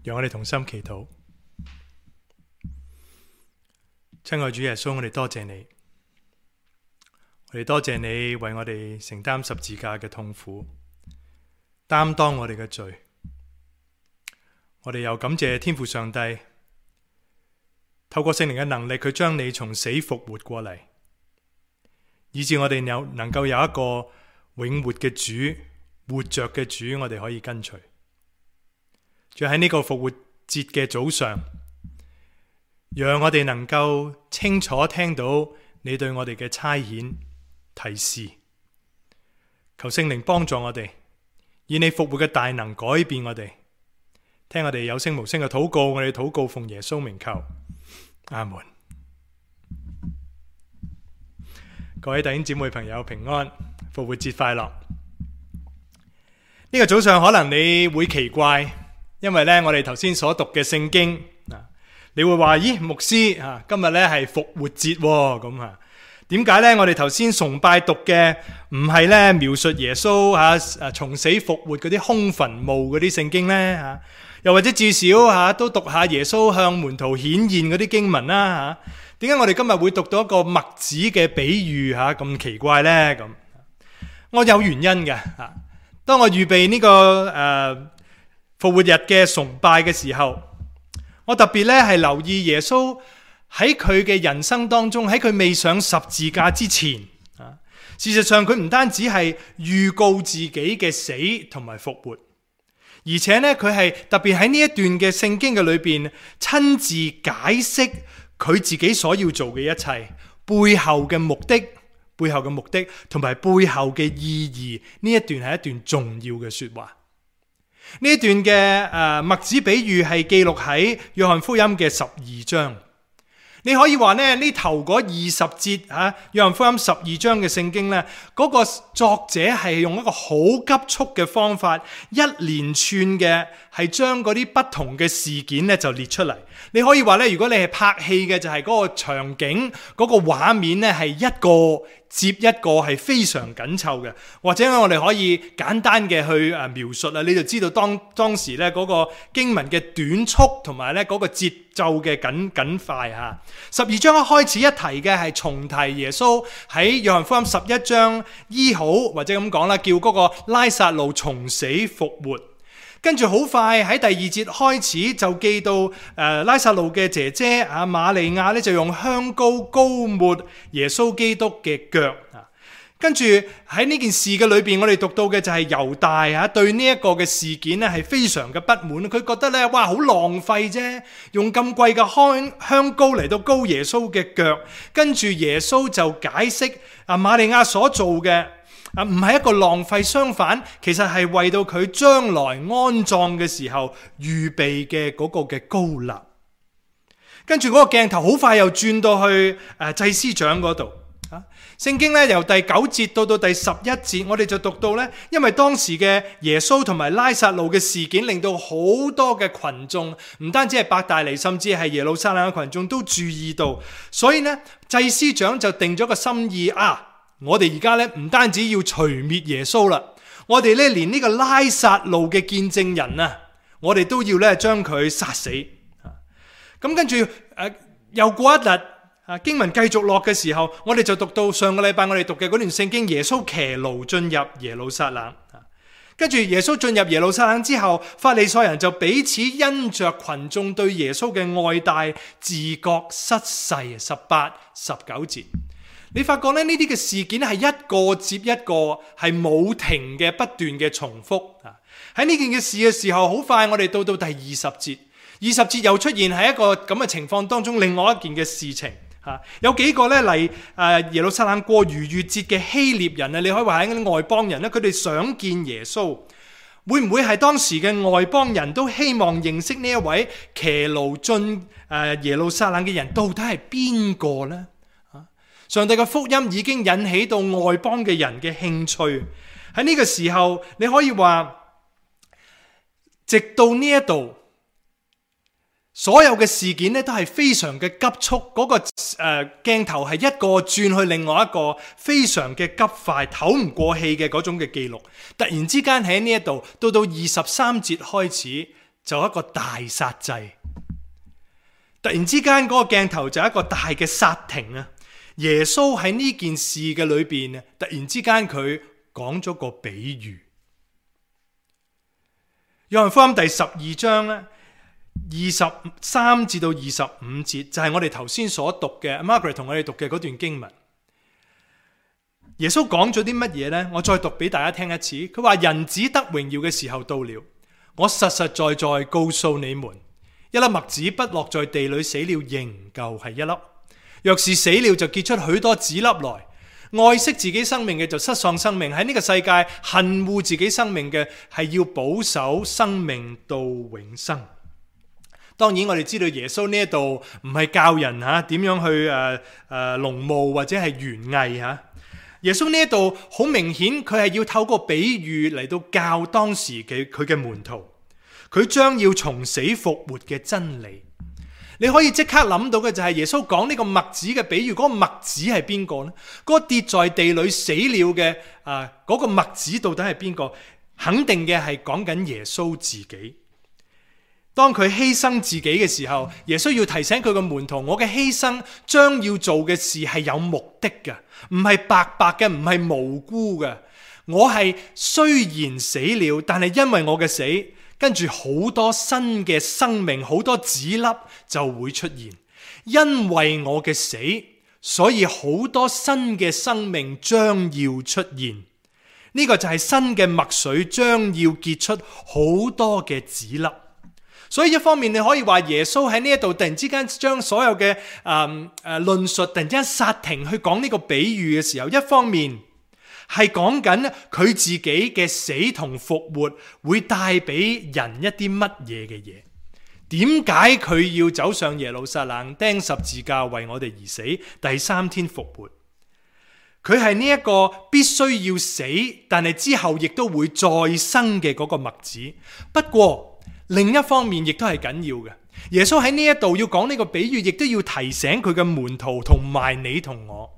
讓我哋同心祈禱。親愛主耶穌，我哋多謝你，我哋多謝你為我哋承擔十字架嘅痛苦，擔當我哋嘅罪。我哋又感謝天父上帝，透過聖靈嘅能力，佢將你從死復活過嚟，以致我哋能夠有一個永活嘅主，活着嘅主，我哋可以跟隨。就喺呢個復活節嘅早上，讓我哋能夠清楚聽到你對我哋嘅差遣提示。求聖靈幫助我哋，以你復活嘅大能改變我哋。聽我哋有聲無聲嘅禱告，我哋禱告奉耶穌名求，阿門。各位弟兄姊妹朋友平安，復活節快樂。呢個早上可能你會奇怪，因為呢，我哋頭先所讀嘅聖經，你會話：咦，牧師今日呢係復活節咁啊？點解呢？我哋頭先崇拜讀嘅唔係呢描述耶穌從死復活嗰啲空墳墓嗰啲聖經呢？又或者至少都讀下耶穌向門徒顯現嗰啲經文啦？點解我哋今日會讀到一個麥子嘅比喻咁奇怪呢？咁我有原因嘅。當我預備呢個復活日嘅崇拜嘅時候，我特別咧係留意耶穌喺佢嘅人生當中，喺佢未上十字架之前，事實上佢唔單止係預告自己嘅死同埋復活，而且呢，佢係特別喺呢一段嘅聖經嘅裏邊親自解釋佢自己所要做嘅一切背後嘅目的同埋背後嘅意義。呢一段係一段重要嘅說話。呢一段嘅麥子比喻係記錄喺約翰福音嘅12章。你可以話呢頭嗰20節約翰福音12章嘅聖經呢，嗰個作者係用一個好急速嘅方法，一連串嘅係將嗰啲不同嘅事件呢就列出嚟。你可以話呢，如果你係拍戲嘅，就係嗰個場景嗰個畫面呢係一個接一個係非常緊湊嘅，或者我哋可以簡單嘅去描述啦，你就知道當時咧嗰個經文嘅短促同埋咧嗰個節奏嘅緊快嚇。12章一開始一提嘅係重提耶穌喺約翰福音11章醫好，或者咁講啦，叫嗰個拉撒路從死復活。跟住好快喺第2節開始就記到拉撒路嘅姐姐瑪利亞咧就用香膏膏抹耶穌基督嘅腳。跟住喺呢件事嘅裏邊，我哋讀到嘅就係猶大對呢一個嘅事件咧係非常嘅不滿，佢覺得咧哇好浪費啫，用咁貴嘅香膏嚟到膏耶穌嘅腳。跟住耶穌就解釋瑪利亞所做嘅唔係一個浪費，相反其實係為到佢將來安葬嘅時候預備嘅嗰個嘅膏立。跟住嗰個鏡頭好快又轉到去祭司長嗰度。聖經咧由第9節到第11節，我哋就讀到咧，因為當時嘅耶穌同埋拉撒路嘅事件，令到好多嘅群眾，唔單止係伯大尼，甚至係耶路撒冷嘅群眾都注意到，所以呢，祭司長就定咗個心意我哋而家咧唔單止要除滅耶穌啦，我哋咧連呢個拉撒路嘅見證人我哋都要咧將佢殺死。咁跟住又過一日。經文繼續落嘅時候，我哋就讀到上個禮拜我哋讀嘅嗰段聖經，耶穌騎驢進入耶路撒冷。跟住耶穌進入耶路撒冷之後，法利賽人就彼此因着群眾對耶穌嘅愛戴，自覺失勢。18、19節，你發覺咧呢啲嘅事件係一個接一個，係冇停嘅不斷嘅重複。喺呢件嘅事嘅時候，好快我哋到第20節，20節又出現喺一個咁嘅情況當中，另外一件嘅事情。有幾個咧嚟耶路撒冷過逾越節嘅希臘人你可以話係啲外邦人咧，佢哋想見耶穌，會唔會係當時嘅外邦人都希望認識呢一位騎驢進耶路撒冷嘅人到底係邊個呢？上帝嘅福音已經引起到外邦嘅人嘅興趣。喺呢個時候，你可以話，直到呢一度。所有嘅事件咧都係非常嘅急促，嗰個鏡頭係一個轉去另外一個，非常嘅急快，唞唔過氣嘅嗰種嘅記錄。突然之間喺呢一度到23節開始，就一個大殺祭。突然之間嗰個鏡頭就一個大嘅剎停啊！耶穌喺呢件事嘅裏邊，突然之間佢講咗個比喻。約翰福音第12章咧，23至到25節就係我哋頭先所讀嘅 Margaret 同我哋讀嘅嗰段經文。耶穌講咗啲乜嘢呢？我再讀俾大家聽一次。佢話：人子得榮耀嘅時候到了，我實實在在告訴你們，一粒麥子不落在地裏死了，仍舊係一粒；若是死了，就結出許多子粒來。愛惜自己生命嘅就失喪生命，喺呢個世界恨惡自己生命嘅係要保守生命到永生。當然我哋知道耶穌呢一度唔係教人點樣去農務或者係園藝吓。耶穌呢一度好明顯佢係要透過比喻嚟到教當時嘅佢嘅門徒，佢將要從死復活嘅真理。你可以即刻諗到嘅就係耶穌講呢個麥子嘅比喻，嗰個麥子係邊個呢？嗰個跌在地裏死了嘅嗰個麥子到底係邊個？肯定嘅係講緊耶穌自己。當佢犧牲自己嘅時候，耶穌要提醒佢個門徒，我嘅犧牲將要做嘅事係有目的嘅，唔係白白嘅，唔係無辜嘅。我係雖然死了，但係因為我嘅死，跟住好多新嘅生命，好多子粒就會出現。因為我嘅死，所以好多新嘅生命將要出現。呢個就係新嘅麥穗將要結出好多嘅子粒。所以一方面你可以話耶穌喺呢一度突然之間將所有嘅論述突然之間剎停去講呢個比喻嘅時候，一方面係講緊佢自己嘅死同復活會帶俾人一啲乜嘢嘅嘢。點解佢要走上耶路撒冷釘十字架為我哋而死，第3天復活？佢係呢一個必須要死，但係之後亦都會再生嘅嗰個麥子。不過另一方面亦都係緊要嘅，耶穌喺呢一度要講呢個比喻，亦都要提醒佢嘅門徒同埋你同我，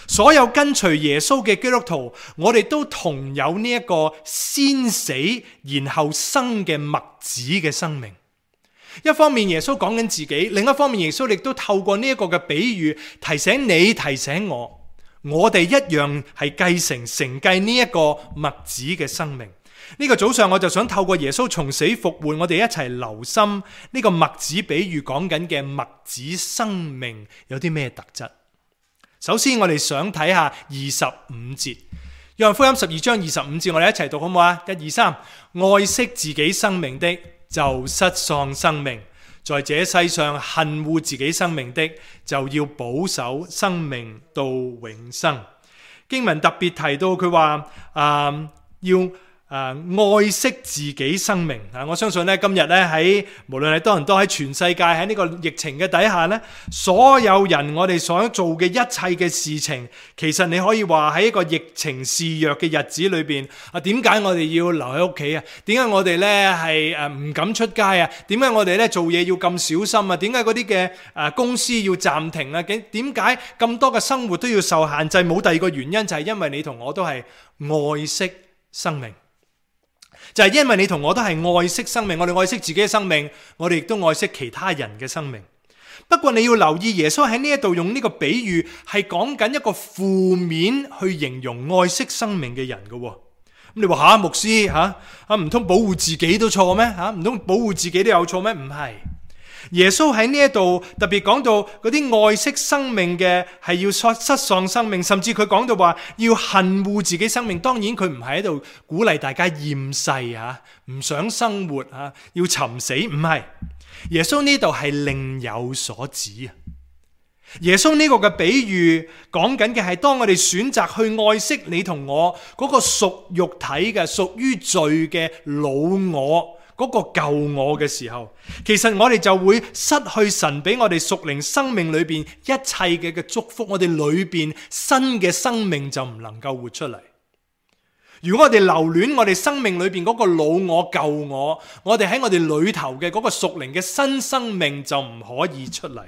所有跟隨耶穌嘅基督徒，我哋都同有呢一個先死然後生嘅麥子嘅生命。一方面耶穌講緊自己，另一方面耶穌亦都透過呢一個嘅比喻提醒你提醒我哋一樣係承繼呢一個麥子嘅生命。呢個早上我就想透過耶穌從死復活，我哋一齊留心呢個麥子比喻講緊嘅麥子生命有啲咩特質。首先我哋想睇下25節，約翰福音12章25節，我哋一齊讀好唔好啊？1、2、3，愛惜自己生命的就失喪生命，在這世上恨惡自己生命的就要保守生命到永生。經文特別提到佢話要愛惜自己生命。我相信咧今日咧喺無論係多倫多喺全世界喺呢個疫情嘅底下咧，所有人我哋所做嘅一切嘅事情，其實你可以話喺一個疫情肆虐嘅日子裏邊點解我哋要留喺屋企啊？點解我哋咧係唔敢出街啊？點解我哋咧做嘢要咁小心啊？點解嗰啲嘅公司要暫停啊？點解咁多嘅生活都要受限制？冇第二個原因，就係因為你同我都係愛惜生命。就係因為你同我都係愛惜生命，我哋愛惜自己嘅生命，我哋亦都愛惜其他人嘅生命。不過你要留意，耶穌喺呢一度用呢個比喻係講緊一個負面去形容愛惜生命嘅人嘅。咁你話牧師唔通保護自己都錯咩？唔通保護自己都有錯咩？唔係。耶穌喺呢一度特別講到嗰啲愛惜生命嘅係要失喪生命，甚至佢講到話要恨惡自己生命。當然佢唔係喺度鼓勵大家厭世唔想生活要尋死，唔係。耶穌呢度係另有所指。耶穌呢個嘅比喻講緊嘅係當我哋選擇去愛惜你同我嗰個屬肉體嘅屬於罪嘅老我，嗰個舊我嘅時候，其實我哋就會失去神俾我哋屬靈生命裏邊一切嘅祝福，我哋裏邊新嘅生命就唔能夠活出嚟。如果我哋留戀我哋生命裏邊嗰個老我舊我，我哋喺我哋裏頭嘅嗰個屬靈嘅新生命就唔可以出嚟。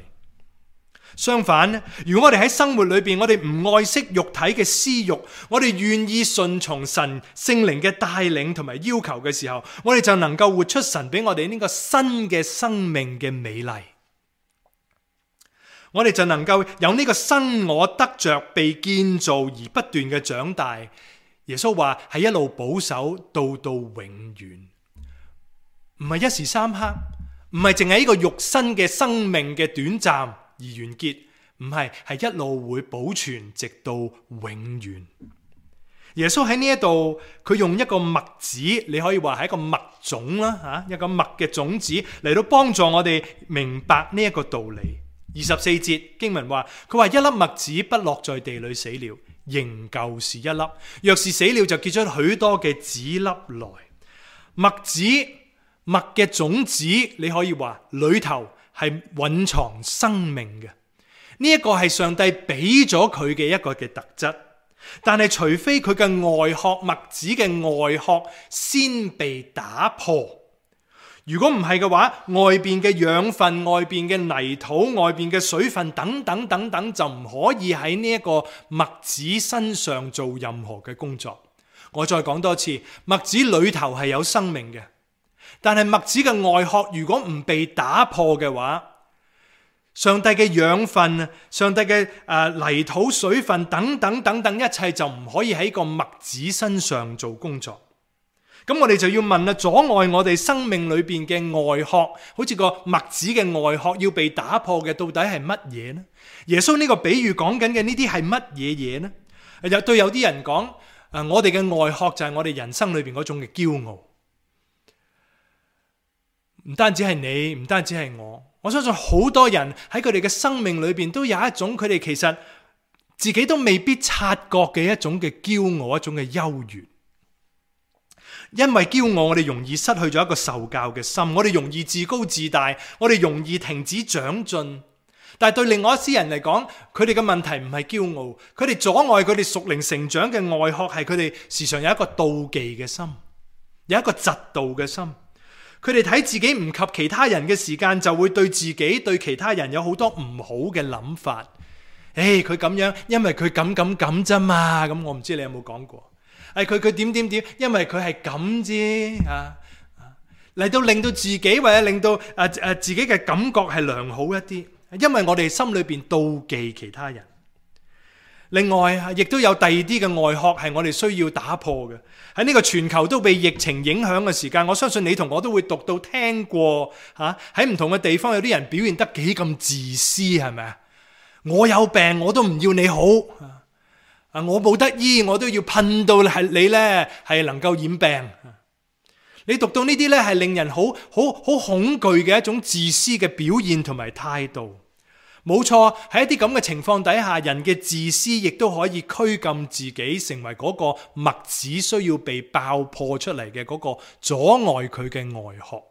相反，如果我哋喺生活裏邊，我哋唔愛惜肉體嘅私欲，我哋願意順從神聖靈嘅帶領同埋要求嘅時候，我哋就能夠活出神俾我哋呢個新嘅生命嘅美麗。我哋就能夠有呢個新我得着被建造而不斷嘅長大。耶穌話係一路保守到永遠，唔係一時三刻，唔係淨係呢個肉身嘅生命嘅短暫而完結，唔係，係一路會保存直到永遠。耶穌喺呢一度，佢用一個麥子，你可以話係一個麥種啦，一個麥嘅種子嚟到幫助我哋明白呢一個道理。24節經文話，佢話一粒麥子不落在地裏死了，仍舊是一粒；若是死了，就結出許多嘅子粒來。麥子麥嘅種子，你可以話裏頭係蘊藏生命嘅。呢一個係上帝俾咗佢嘅一個嘅特質，但係除非佢嘅外殼，麥子嘅外殼先被打破。如果唔係嘅話，外邊嘅養分、外邊嘅泥土、外邊嘅水分等等等等，就唔可以喺呢一個麥子身上做任何嘅工作。我再講多次，麥子裏頭係有生命嘅，但係麥子嘅外殼如果唔被打破嘅話，上帝嘅養分、上帝嘅泥土、水分等等等等，一切就唔可以喺個麥子身上做工作。咁我哋就要問啦，阻礙我哋生命裏邊嘅外殼，好似個麥子嘅外殼要被打破嘅，到底係乜嘢呢？耶穌呢個比喻講緊嘅呢啲係乜嘢嘢呢？對有啲人講，我哋嘅外殼就係我哋人生裏邊嗰種嘅驕傲。唔單止係你，唔單止係我相信好多人喺佢哋嘅生命裏邊都有一種佢哋其實自己都未必察覺嘅一種嘅驕傲，一種嘅優越。因為驕傲，我哋容易失去咗一個受教嘅心，我哋容易自高自大，我哋容易停止長進。但係對另外一些人嚟講，佢哋嘅問題唔係驕傲，佢哋阻礙佢哋屬靈成長嘅外殼係佢哋時常有一個妒忌嘅心，有一個嫉妒嘅心。佢哋睇自己唔及其他人嘅時間，就會對自己對其他人有好多唔好嘅諗法。佢咁樣，因為佢咁啫嘛。咁我唔知你有冇講過。佢點，因為佢係咁啫，嚟到令到自己或者令到自己嘅感覺係良好一啲，因為我哋心裏邊妒忌其他人。另外亦都有第二啲嘅外殼係我哋需要打破嘅。喺呢個全球都被疫情影響嘅時間，我相信你同我都會讀到聽過喺唔同嘅地方有啲人表現得幾咁自私，係咪啊？我有病我都唔要你好。我冇得醫，我都要噴到係你呢係能夠染病。你讀到呢啲呢係令人好恐懼嘅一種自私嘅表現同埋態度。冇錯，喺一啲咁嘅情況底下，人嘅自私亦都可以拘禁自己，成為嗰個麥子需要被爆破出嚟嘅嗰個阻礙佢嘅外殼。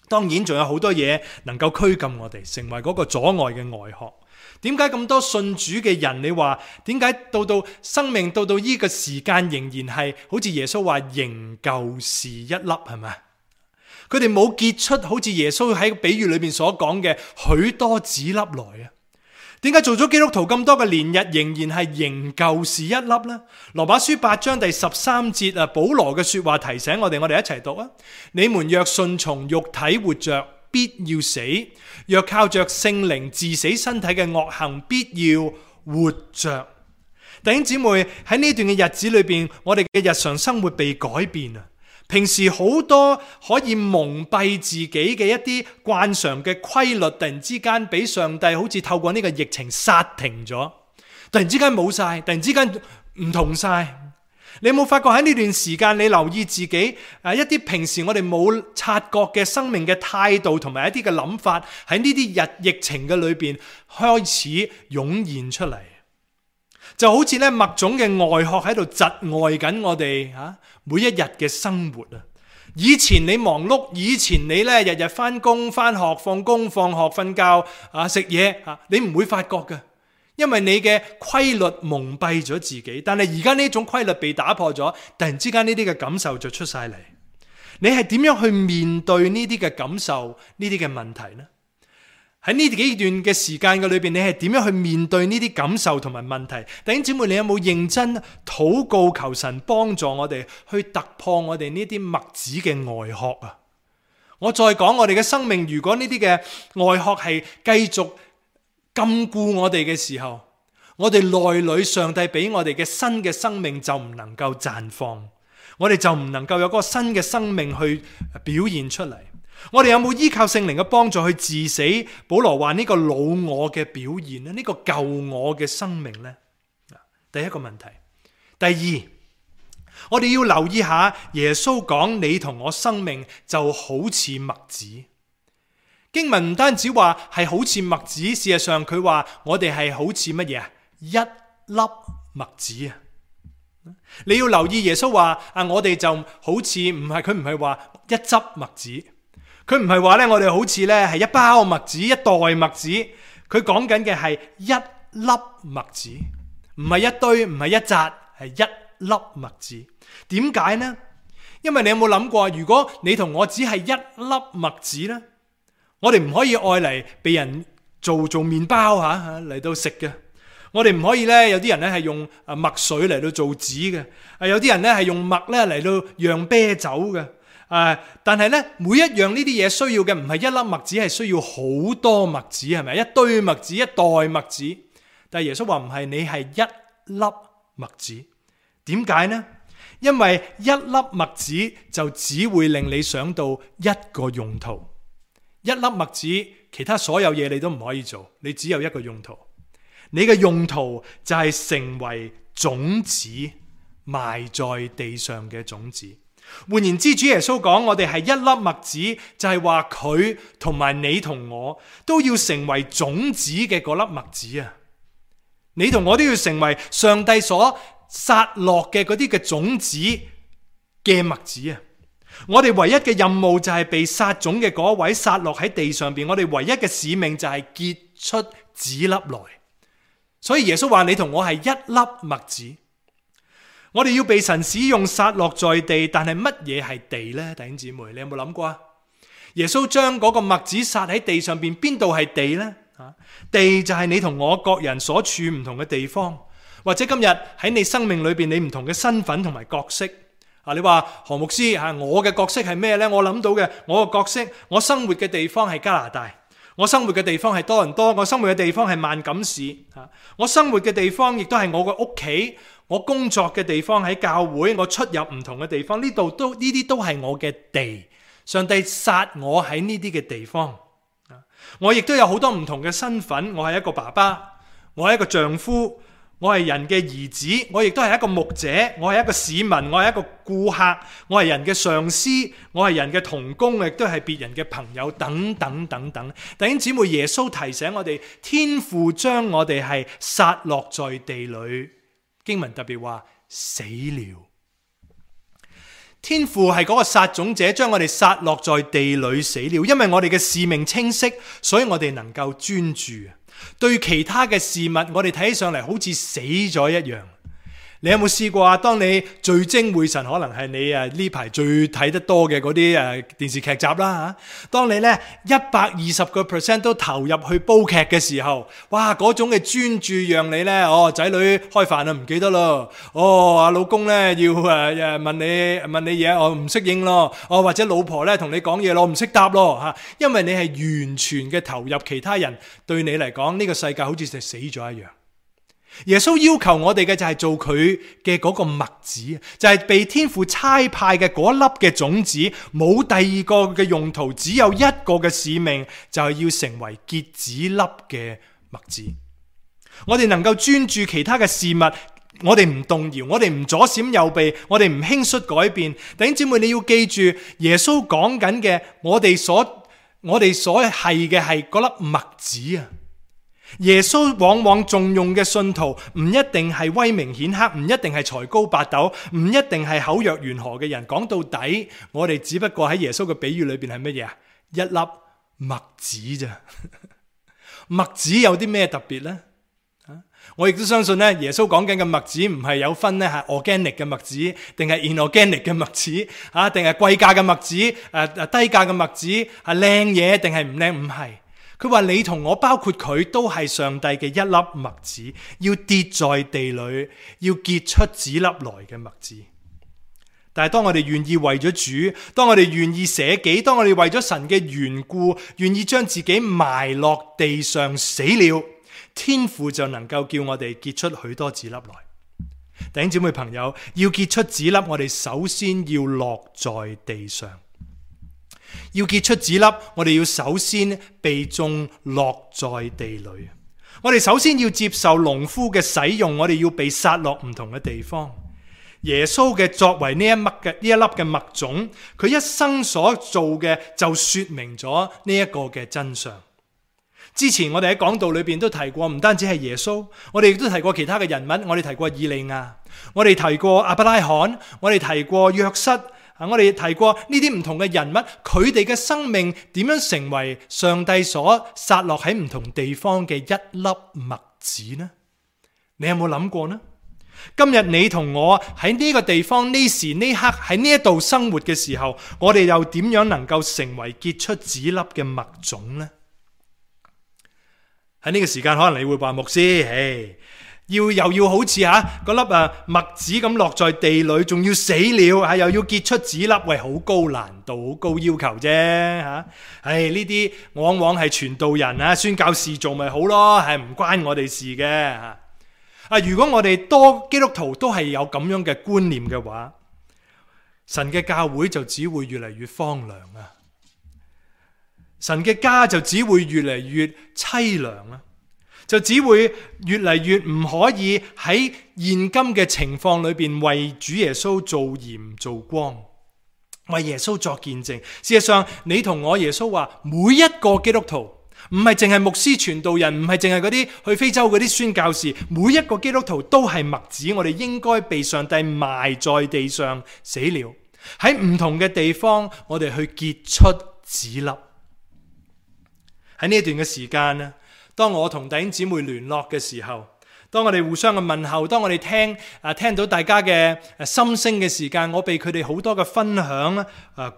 當然仲有好多嘢能夠拘禁我哋，成為嗰個阻礙嘅外殼。點解咁多信主嘅人，你話點解到生命到呢個時間仍然係好似耶穌話仍舊是一粒，係咪？佢哋冇結出好似耶穌喺比喻裏面所講嘅許多子粒來啊？點解做咗基督徒咁多嘅年日，仍然係仍舊是一粒呢？羅馬書8章第13節保羅嘅說話提醒我哋一齊讀啊！你們若順從肉體活着，必要死；若靠着聖靈治死身體嘅惡行，必要活着。弟兄姊妹，喺呢段嘅日子裏邊，我哋嘅日常生活被改變啊！平時好多可以蒙蔽自己嘅一啲慣常嘅規律，突然之間俾上帝好似透過呢個疫情剎停咗，突然之間冇晒，突然之間唔同晒。你有冇發覺喺呢段時間，你留意自己一啲平時我哋冇察覺嘅生命嘅態度同埋一啲嘅諗法，喺呢啲疫情嘅裏邊開始湧現出嚟，就好似咧麥種嘅外殼喺度窒礙緊我哋每一日嘅生活啊！以前你忙碌，以前你咧日日翻工翻學、放工放學、瞓覺食嘢你唔會發覺嘅。因為你嘅規律蒙蔽咗自己，但係而家呢種規律被打破咗，突然之間呢啲嘅感受就出晒嚟。你係點樣去面對呢啲嘅感受、呢啲嘅問題呢？喺呢幾段嘅時間嘅裏邊，你係點樣去面對呢啲感受同埋問題？弟兄姊妹，你有冇認真禱告求神幫助我哋去突破我哋呢啲麥子嘅外殼啊？我再講我哋嘅生命，如果呢啲嘅外殼係繼續禁錮我哋嘅時候，我哋內裏上帝俾我哋嘅新嘅生命就唔能夠綻放，我哋就唔能夠有嗰個新嘅生命去表現出嚟。我哋有冇依靠聖靈嘅幫助去治死保羅話呢個老我嘅表現呢？呢個舊我嘅生命呢？第一個問題。第二，我哋要留意下耶穌講你同我生命就好似麥子。經文唔單止話係好似麥子，事實上佢話我哋係好似乜嘢啊？一粒麥子啊！你要留意耶穌話我哋就好似佢唔係話一執麥子。佢唔係話咧，我哋好似咧係一包麥子、一袋麥子。佢講緊嘅係一粒麥子，唔係一堆，唔係一紮，係一粒麥子。點解呢？因為你有冇諗過，如果你同我只係一粒麥子呢，我哋唔可以愛嚟被人做麵包嚟到食嘅。我哋唔可以咧，有啲人咧係用麥水嚟到做紙嘅，有啲人咧係用麥咧嚟到釀啤酒嘅。但係咧，每一樣呢啲嘢需要嘅唔係一粒麥子，係需要好多麥子，係咪？一堆麥子，一袋麥子。但係耶穌話唔係，你係一粒麥子。點解呢？因為一粒麥子就只會令你想到一個用途。一粒麥子，其他所有嘢你都唔可以做，你只有一個用途。你嘅用途就係成為種子，埋在地上嘅種子。換言之，主耶穌講我哋係一粒麥子，就係話佢同埋你同我都要成為種子嘅嗰粒麥子啊！你同我都要成為上帝所撒落嘅嗰啲嘅種子嘅麥子啊！我哋唯一嘅任務就係被撒種嘅嗰位撒落喺地上邊，我哋唯一嘅使命就係結出子粒來。所以耶穌話你同我係一粒麥子。我哋要被神使用撒落在地，但係乜嘢係地呢？弟兄姊妹，你有冇諗過啊？耶穌將嗰個麥子撒喺地上邊，邊度係地呢？地就係你同我各人所處唔同嘅地方，或者今日喺你生命裏邊你唔同嘅身份同埋角色。你話何牧師我嘅角色係咩呢？我諗到嘅，我嘅角色，我生活嘅地方係加拿大，我生活嘅地方係多倫多，我生活嘅地方係萬錦市，我生活嘅地方亦都係我嘅屋企。我工作嘅地方喺教會，我出入唔同嘅地方，呢啲都係我嘅地。上帝撒我喺呢啲嘅地方，我亦都有好多唔同嘅身份。我係一個爸爸，我係一個丈夫，我係人嘅兒子，我亦都係一個牧者，我係一個市民，我係一個顧客，我係人嘅上司，我係人嘅同工，亦都係別人嘅朋友，等等等等。弟兄姊妹，耶穌提醒我哋，天父將我哋係撒落在地裏。經文特別話死了，天父係嗰個撒種者，將我哋撒落在地裏死了。因為我哋嘅使命清晰，所以我哋能夠專注。對其他嘅事物，我哋睇起上嚟好似死咗一樣。你有冇試過啊？當你聚精會神，可能係你呢排最睇得多嘅嗰啲電視劇集啦吓。當你呢120% 都投入去煲劇嘅時候，哇！嗰種嘅專注讓你呢，仔女開飯唔記得咯，阿老公呢要問你嘢，我唔識應咯，或者老婆呢同你講嘢咯，唔識答咯吓，因為你係完全嘅投入，其他人對你嚟講呢個世界好似就死咗一樣。耶穌要求我哋嘅就係做佢嘅嗰個麥子，就係被天父差派嘅嗰粒嘅種子，冇第二個嘅用途，只有一個嘅使命，就係要成為結子粒嘅麥子。我哋能夠專注其他嘅事物，我哋唔動搖，我哋唔左閃右避，我哋唔輕率改變。弟兄姊妹，你要記住，耶穌講緊嘅，我哋所係嘅係嗰粒麥子啊！耶穌往往重用嘅信徒唔一定係威名顯赫，唔一定係才高八斗，唔一定係口若懸河嘅人。講到底，我哋只不過喺耶穌嘅比喻裏邊係乜嘢啊？一粒麥子咋？麥子有啲咩特別呢？我亦都相信咧，耶穌講緊嘅麥子唔係有分咧係 organic 嘅麥子，定係 inorganic 嘅麥子，定係貴價嘅麥子，低價嘅麥子，係靚嘢定係唔靚？唔係。佢話你同我包括佢都係上帝嘅一粒麥子，要跌在地裏，要結出籽粒來嘅麥子。但係當我哋願意為咗主，當我哋願意捨己，當我哋為咗神嘅緣故，願意將自己埋落地上死了，天父就能夠叫我哋結出許多籽粒來。弟兄姊妹朋友，要結出籽粒，我哋首先要落在地上。要結出籽粒，我哋要首先被種落在地裏。我哋首先要接受農夫嘅使用，我哋要被撒落唔同嘅地方。耶穌嘅作為呢一粒嘅麥種，佢一生所做嘅就說明咗呢一個嘅真相。之前我哋喺講道裏邊都提過，唔單止係耶穌，我哋亦都提過其他嘅人物，我哋提過以利亞，我哋提過亞伯拉罕，我哋提過約瑟，我哋提過呢啲唔同嘅人物，佢哋嘅生命點樣成為上帝所撒落喺唔同地方嘅一粒麥子呢？你有冇諗過呢？今日你同我喺呢個地方呢時呢刻喺呢一度生活嘅時候，我哋又點樣能夠成為結出籽粒嘅麥種呢？喺呢個時間，可能你會話牧師，又要好似嗰粒麥子咁落在地裏，仲要死了，又要結出籽粒，喂，好高難度，好高要求啫，呢啲往往係傳道人宣教士做咪好咯，係唔關我哋事嘅。如果我哋多基督徒都係有咁樣嘅觀念嘅話，神嘅教會就只會越嚟越荒涼啊！神嘅家就只會越嚟越淒涼啊！就只會越嚟越唔可以喺現今嘅情況裏邊為主耶穌做鹽做光，為耶穌作見證。事實上，你同我耶穌話，每一個基督徒，唔係淨係牧師傳道人，唔係淨係嗰啲去非洲嗰啲宣教士，每一個基督徒都係麥子，我哋應該被上帝埋在地上死了，喺唔同嘅地方，我哋去結出籽粒。喺呢一段嘅時間咧，當我同弟兄姊妹聯絡嘅時候，當我哋互相嘅問候，當我哋聽到大家嘅心聲嘅時間，我被佢哋好多嘅分享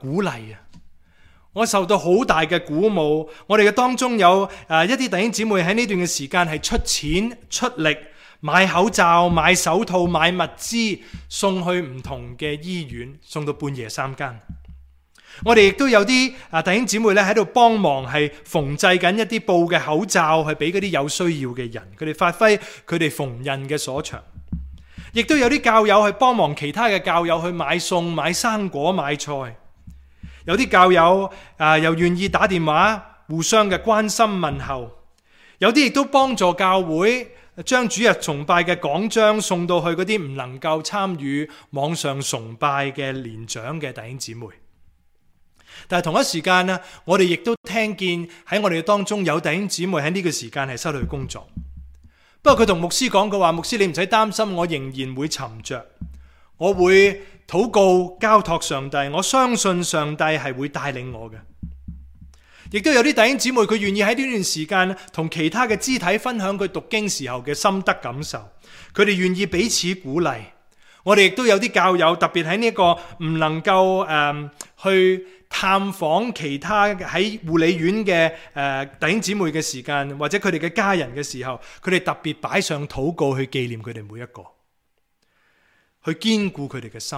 鼓勵啊！我受到好大嘅鼓舞。我哋嘅當中有一啲弟兄姊妹喺呢段嘅時間係出錢出力買口罩、買手套、買物資送去唔同嘅醫院，送到半夜3更。我哋亦都有啲弟兄姊妹咧喺度幫忙，係縫製緊一啲布嘅口罩，去俾嗰啲有需要嘅人，佢哋發揮佢哋縫紉嘅所長。亦都有啲教友去幫忙其他嘅教友去買餸、買生果、買菜。有啲教友又願意打電話互相嘅關心問候，有啲亦都幫助教會將主日崇拜嘅講章送到去嗰啲唔能夠參與網上崇拜嘅年長嘅弟兄姊妹。但係同一時間呢，我哋亦都聽見喺我哋當中有弟兄姊妹喺呢個時間係失去工作。不過佢同牧師講嘅話，牧師，你唔使擔心，我仍然會沉着，我會禱告交託上帝，我相信上帝係會帶領我嘅。亦都有啲弟兄姊妹佢願意喺呢段時間同其他嘅肢體分享佢讀經時候嘅心得感受，佢哋願意彼此鼓勵。我哋亦都有啲教友特別喺呢個唔能夠去探訪其他喺護理院嘅弟兄姊妹嘅時間，或者佢哋嘅家人嘅時候，佢哋特別擺上禱告去紀念佢哋每一個，去堅固佢哋嘅心。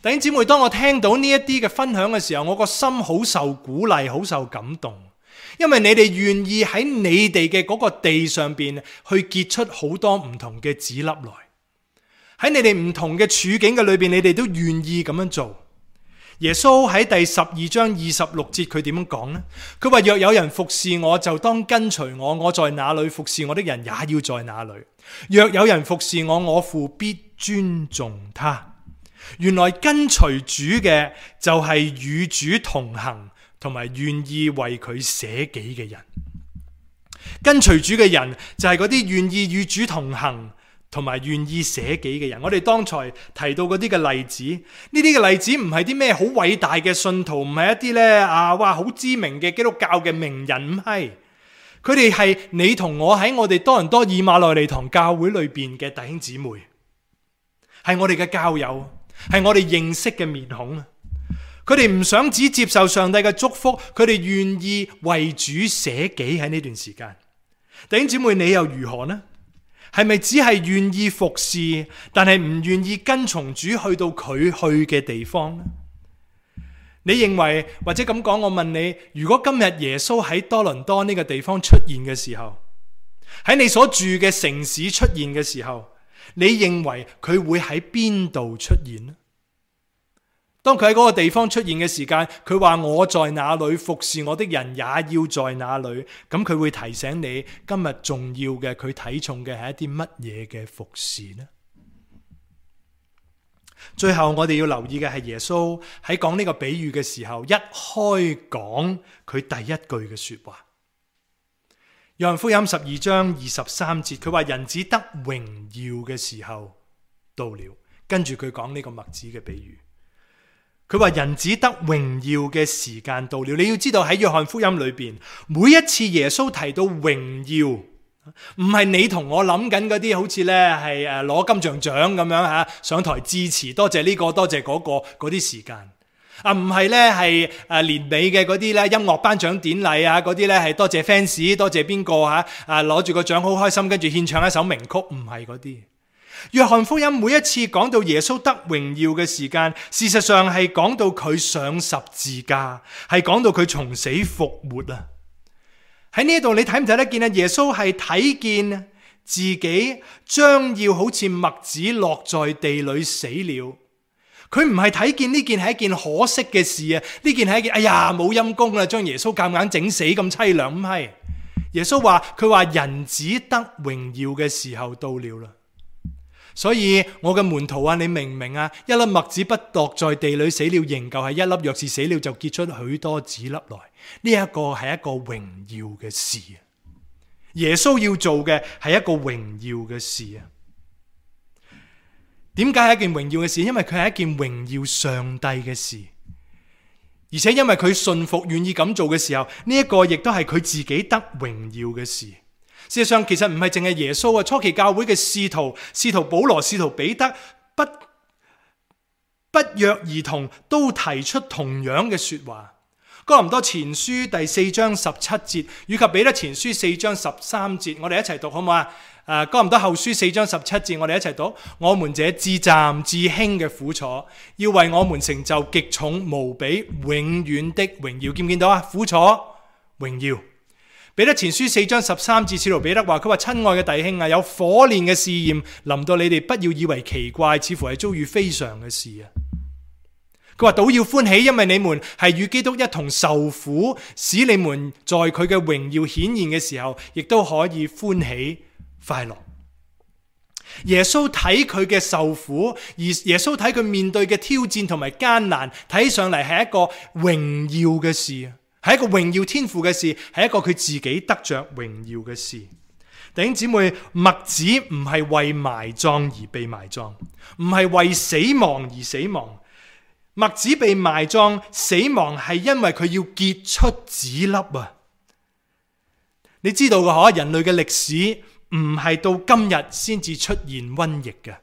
弟兄姊妹，當我聽到呢一啲嘅分享嘅時候，我個心好受鼓勵，好受感動，因為你哋願意喺你哋嘅嗰個地上邊去結出好多唔同嘅籽粒來，喺你哋唔同嘅處境嘅裏邊，你哋都願意咁樣做。耶穌喺第12章26節佢點樣講呢？佢話，若有人服侍我，就當跟隨我，我在哪裏服侍我的人也要在哪裏。若有人服侍我，我父必尊重他。原來跟隨主嘅就係與主同行，同埋願意為佢捨己嘅人。跟隨主嘅人就係嗰啲願意與主同行同埋願意捨己嘅人。我哋剛才提到嗰啲嘅例子，呢啲嘅例子唔係啲咩好偉大嘅信徒，唔係一啲咧好知名嘅基督教嘅名人，唔係。佢哋係你同我喺我哋多倫多以馬內利堂教會裏邊嘅弟兄姊妹，係我哋嘅教友，係我哋認識嘅面孔。佢哋唔想只接受上帝嘅祝福，佢哋願意為主捨己喺呢段時間。弟兄姊妹，你又如何呢？係咪只係願意服侍，但係唔願意跟從主去到佢去嘅地方呢？你認為，或者咁講，我問你，如果今日耶穌喺多倫多呢個地方出現嘅時候，喺你所住嘅城市出現嘅時候，你認為佢會喺邊度出現呢？當佢喺嗰個地方出現嘅時間，佢話我在哪裏，服侍我的人也要在哪裏。咁佢會提醒你今日重要嘅，佢睇重嘅係一啲乜嘢嘅服侍呢？最後我哋要留意嘅係耶穌喺講呢個比喻嘅時候，一開講佢第一句嘅說話。約翰福音12章23節，佢話人子得榮耀嘅時候到了，跟住佢講呢個麥子嘅比喻。佢話人子得榮耀嘅時間到了。你要知道喺約翰福音裏邊，每一次耶穌提到榮耀，唔係你同我諗緊嗰啲好似咧係攞金像獎咁樣吓上台致辭，多謝呢個多謝嗰個嗰啲時間啊，唔係咧係年尾嘅嗰啲咧音樂頒獎典禮啊，嗰啲咧係多謝 fans 多謝邊個吓攞住個獎好開心，跟住獻唱一首名曲，唔係嗰啲。約翰福音每一次講到耶穌得榮耀嘅時間，事實上係講到佢上十字架，係講到佢從死復活啊！喺呢度你睇唔睇得見啊？耶穌係睇見自己將要好似麥子落在地裏死了，佢唔係睇見呢件係一件可惜嘅事啊！呢件係一件哎呀冇陰功啦，將耶穌夾硬整死咁淒涼，唔係。耶穌話佢話人子得榮耀嘅時候到了啦。所以我嘅門徒啊，你明唔明啊？一粒麥子不落在地裏死了，仍舊係一粒；若是死了，就結出許多子粒來。呢一個係一個榮耀嘅事啊！耶穌要做嘅係一個榮耀嘅事啊！點解係一件榮耀嘅事？因為佢係一件榮耀上帝嘅事，而且因為佢信服願意咁做嘅時候，呢一個亦都係佢自己得榮耀嘅事。事實上，其實唔係淨係耶穌啊，初期教會嘅使徒保羅、使徒彼得不約而同都提出同樣嘅說話。哥林多前書第4章17節，以及彼得前書4章13節，我哋一齊讀好唔好啊？哥林多後書4章17節，我哋一齊讀。我們這至暫至輕嘅苦楚，要為我們成就極重無比永遠的榮耀。見唔見到啊？苦楚榮耀。彼得前書4章13節，使徒彼得話：佢話親愛嘅弟兄啊，有火煉嘅試驗臨到你哋，不要以為奇怪，似乎係遭遇非常嘅事啊。佢話倒要歡喜，因為你們係與基督一同受苦，使你們在佢嘅榮耀顯現嘅時候，亦都可以歡喜快樂。耶穌睇佢嘅受苦，而耶穌睇佢面對嘅挑戰同埋艱難，睇上嚟係一個榮耀嘅事，係一個榮耀天父嘅事，係一個佢自己得着榮耀嘅事。弟兄姊妹，麥子唔係為埋葬而被埋葬，唔係為死亡而死亡。麥子被埋葬死亡係因為佢要結出籽粒啊！你知道嘅嗬，人類嘅歷史唔係到今日先至出現瘟疫嘅。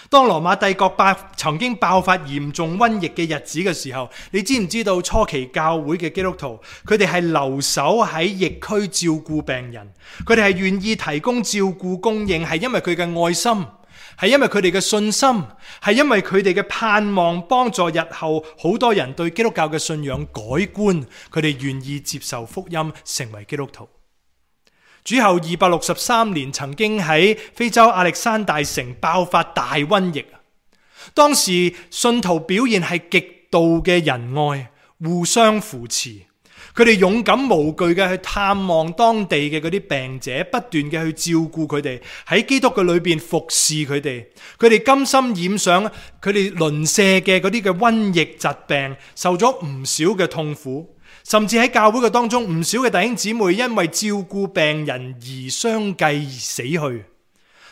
當羅馬帝國曾經爆發嚴重瘟疫嘅日子嘅時候，你知唔知道初期教會嘅基督徒，佢哋係留守喺疫區照顧病人，佢哋係願意提供照顧供應，係因為佢嘅愛心，係因為佢哋嘅信心，係因為佢哋嘅盼望，幫助日後好多人對基督教嘅信仰改觀，佢哋願意接受福音，成為基督徒。主後263年，曾經喺非洲亞歷山大城爆發大瘟疫。當時信徒表現係極度嘅仁愛，互相扶持，佢哋勇敢無懼嘅去探望當地嘅嗰啲病者，不斷嘅去照顧佢哋，喺基督嘅裏邊服侍佢哋。佢哋甘心染上佢哋鄰舍嘅嗰啲嘅瘟疫疾病，受咗唔少嘅痛苦。甚至喺教會嘅當中，唔少嘅弟兄姊妹因為照顧病人而相繼而死去。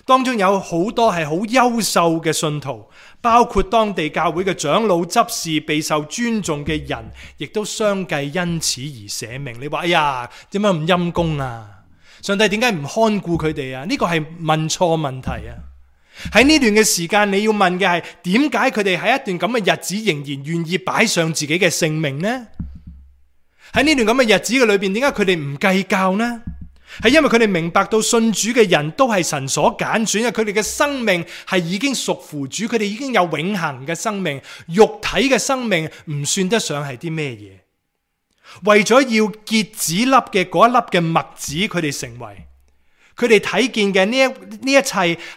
當中有好多係好優秀嘅信徒，包括當地教會嘅長老執事，備受尊重嘅人，亦都相繼因此而捨命。你話哎呀，點解咁陰公啊？上帝點解唔看顧佢哋啊？呢個係問錯問題啊！喺呢段嘅時間，你要問嘅係點解佢哋喺一段咁嘅日子仍然願意擺上自己嘅性命呢？喺呢段咁嘅日子嘅裏邊，點解佢哋唔計較呢？係因為佢哋明白到信主嘅人都係神所揀選嘅，佢哋嘅生命係已經屬乎主，佢哋已經有永恆嘅生命，肉體嘅生命唔算得上係啲咩嘢。為咗要結子粒嘅嗰一粒嘅麥子，佢哋成為佢哋睇見嘅呢一切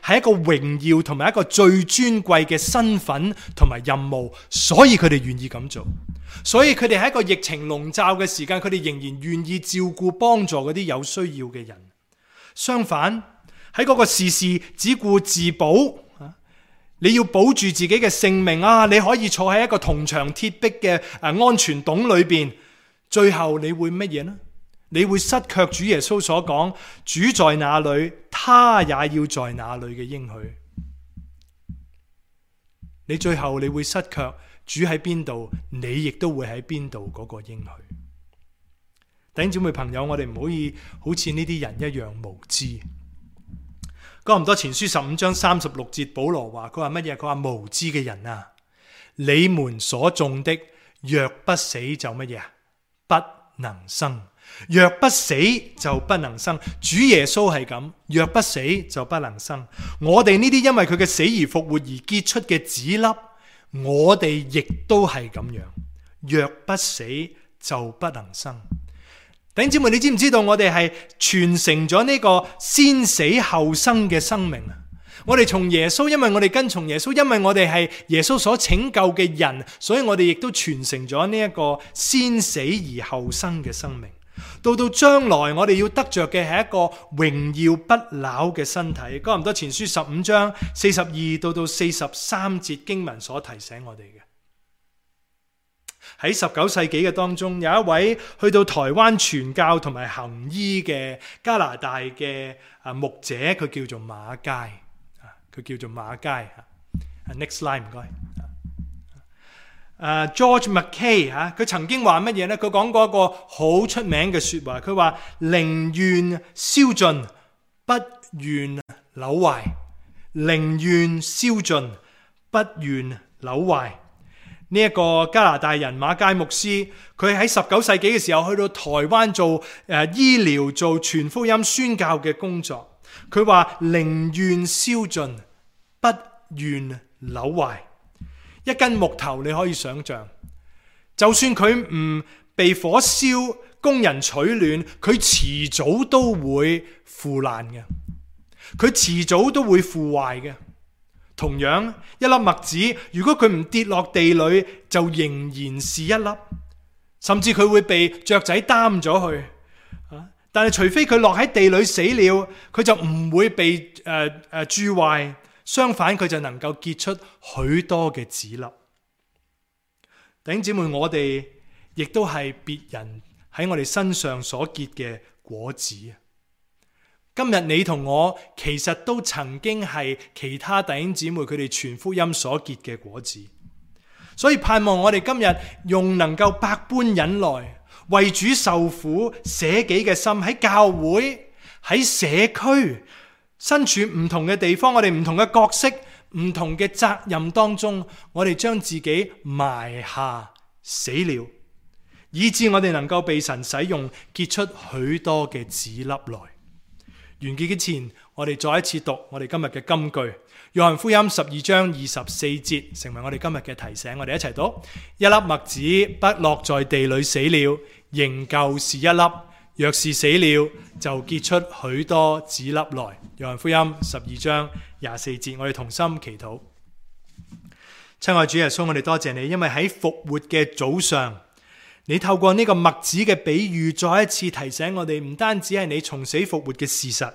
係一個榮耀同埋一個最尊貴嘅身份同埋任務，所以佢哋願意咁做。所以佢哋喺一個疫情籠罩嘅時間，佢哋仍然願意照顧幫助嗰啲有需要嘅人。相反，喺嗰個事事只顧自保，你要保住自己嘅性命啊！你可以坐喺一個銅牆鐵壁嘅安全洞裏邊，最後你會乜嘢呢？你會失卻主耶穌所講主在哪裏，他也要在哪裏嘅應許。你最後你會失卻主喺邊度，你亦都會喺邊度嗰個應許。弟兄姊妹朋友，我哋唔可以好似呢啲人一樣無知。哥林多前書15章36節，保羅話佢話乜嘢？佢話無知嘅人啊，你們所種的若不死就乜嘢？不能生。若不死就不能生。主耶穌係咁，若不死就不能生。我哋呢啲因為佢嘅死而復活而結出嘅子粒，我哋亦都係咁樣。若不死就不能生。弟兄姊妹，你知唔知道我哋係傳承咗呢個先死後生嘅生命啊？我哋從耶穌，因為我哋跟從耶穌，因為我哋係耶穌所拯救嘅人，所以我哋亦都傳承咗呢一個先死而後生嘅生命。到將來我哋要得着嘅係一個榮耀不朽嘅身體。哥林多前書15章42到43節經文所提醒我哋嘅。喺19世紀嘅當中，有一位去到台灣傳教同埋行醫嘅加拿大嘅牧者，佢叫做馬偕。佢叫做馬偕。Next slide 唔該。George Mackay 佢曾經話乜嘢呢？佢講過一個好出名嘅說話，佢話寧願燒盡，不願朽壞。寧願燒盡，不願朽壞。呢一個加拿大人馬偕牧師，佢喺19世紀嘅時候去到台灣做醫療、做傳福音、宣教嘅工作。佢話寧願燒盡，不願朽壞。一根木頭你可以想象，就算佢唔被火燒，工人取暖，佢遲早都會腐爛嘅，佢遲早都會腐壞嘅。同樣，一粒麥子如果佢唔跌落地裏，就仍然是一粒，甚至佢會被雀仔擔咗去。但係除非佢落喺地裏死了，佢就唔會被蛀壞。相反，佢就能夠結出許多嘅子粒。弟兄姊妹，我哋亦都係別人喺我哋身上所結嘅果子。今日你同我其實都曾經係其他弟兄姊妹佢哋傳福音所結嘅果子。所以盼望我哋今日用能夠百般忍耐、為主受苦、捨己嘅心，喺教會、喺社區、身處唔同嘅地方，我哋唔同嘅角色、唔同嘅責任當中，我哋將自己埋下死了，以致我哋能夠被神使用，結出許多嘅子粒來。完結之前，我哋再一次讀我哋今日嘅金句，約翰福音12章24節，成為我哋今日嘅提醒。我哋一齊讀：一粒麥子不落在地裏死了，仍舊是一粒；若是死了，就結出許多子粒來。約翰福音12章24節，我哋同心祈禱。親愛主耶穌，我哋多謝你，因為喺復活嘅早上，你透過呢個麥子嘅比喻，再一次提醒我哋，唔單止係你從死復活嘅事實，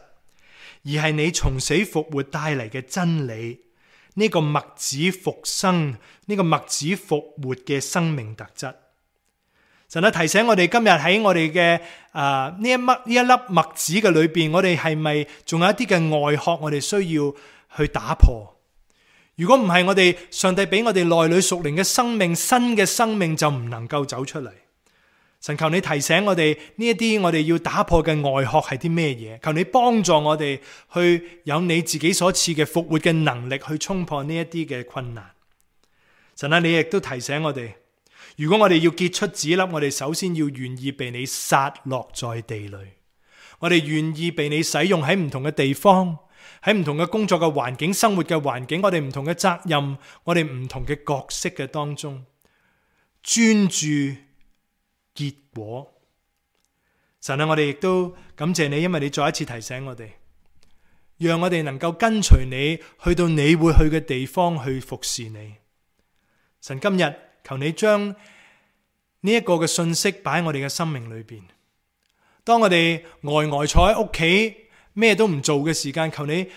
而係你從死復活帶嚟嘅真理。呢個麥子復生，呢個麥子復活嘅生命特質。神啊，提醒我哋今日喺我哋嘅呢一粒麥子嘅裏邊，我哋係咪仲有一啲嘅外殼，我哋需要去打破？如果唔係，我哋上帝俾我哋內裏屬靈嘅生命，新嘅生命就唔能夠走出嚟。神，求你提醒我哋呢一啲我哋要打破嘅外殼係啲咩嘢？求你幫助我哋去有你自己所賜嘅復活嘅能力去衝破呢一啲嘅困難。神啊，你亦都提醒我哋，如果我哋要結出子粒，我哋首先要願意被你撒落在地裏，我哋願意被你使用喺唔同嘅地方，喺唔同嘅工作嘅環境、生活嘅環境，我哋唔同嘅責任，我哋唔同嘅角色嘅當中，專注結果。神啊，我哋亦都感謝你，因為你再一次提醒我哋，讓我哋能夠跟隨你去到你會去嘅地方去服侍你。神，今日求你將呢一個嘅信息擺喺我哋嘅生命裏邊。當我哋呆坐喺屋企咩都唔做嘅時間，求你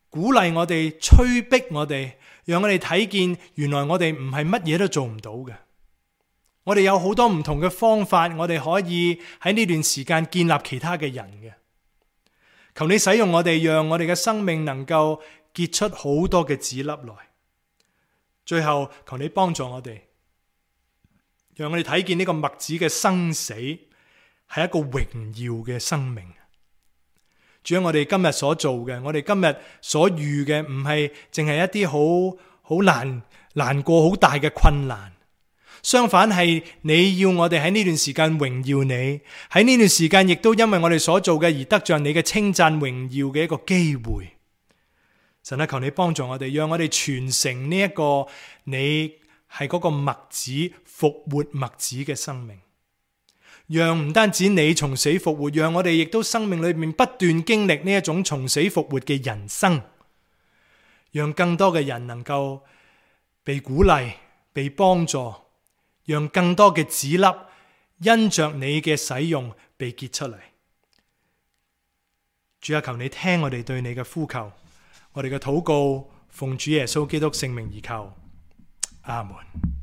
鼓勵我哋、催逼我哋，讓我哋睇見原來我哋唔係乜嘢都做唔到嘅。我哋有好多唔同嘅方法，我哋可以喺呢段時間建立其他嘅人嘅。求你使用我哋，讓我哋嘅生命能夠結出好多嘅子粒來。最後，求你幫助我哋，讓我哋睇見呢個麥子嘅生死係一個榮耀嘅生命。主啊，我哋今日所做嘅，我哋今日所遇嘅，唔係淨係一啲好難過好大嘅困難。相反係你要我哋喺呢段時間榮耀你，喺呢段時間亦都因為我哋所做嘅而得着你嘅稱讚榮耀嘅一個機會。神啊，求你幫助我哋，讓我哋傳承呢一個你係嗰個麥子復活麥子嘅生命，讓唔單止你從死復活，讓我哋亦都生命裏面不斷經歷呢一種從死復活嘅人生，讓更多嘅人能夠被鼓勵、被幫助，讓更多嘅子粒因着你嘅使用被結出嚟。主啊，求你聽我哋對你嘅呼求，我哋嘅禱告奉主耶穌基督聖名而求，阿門。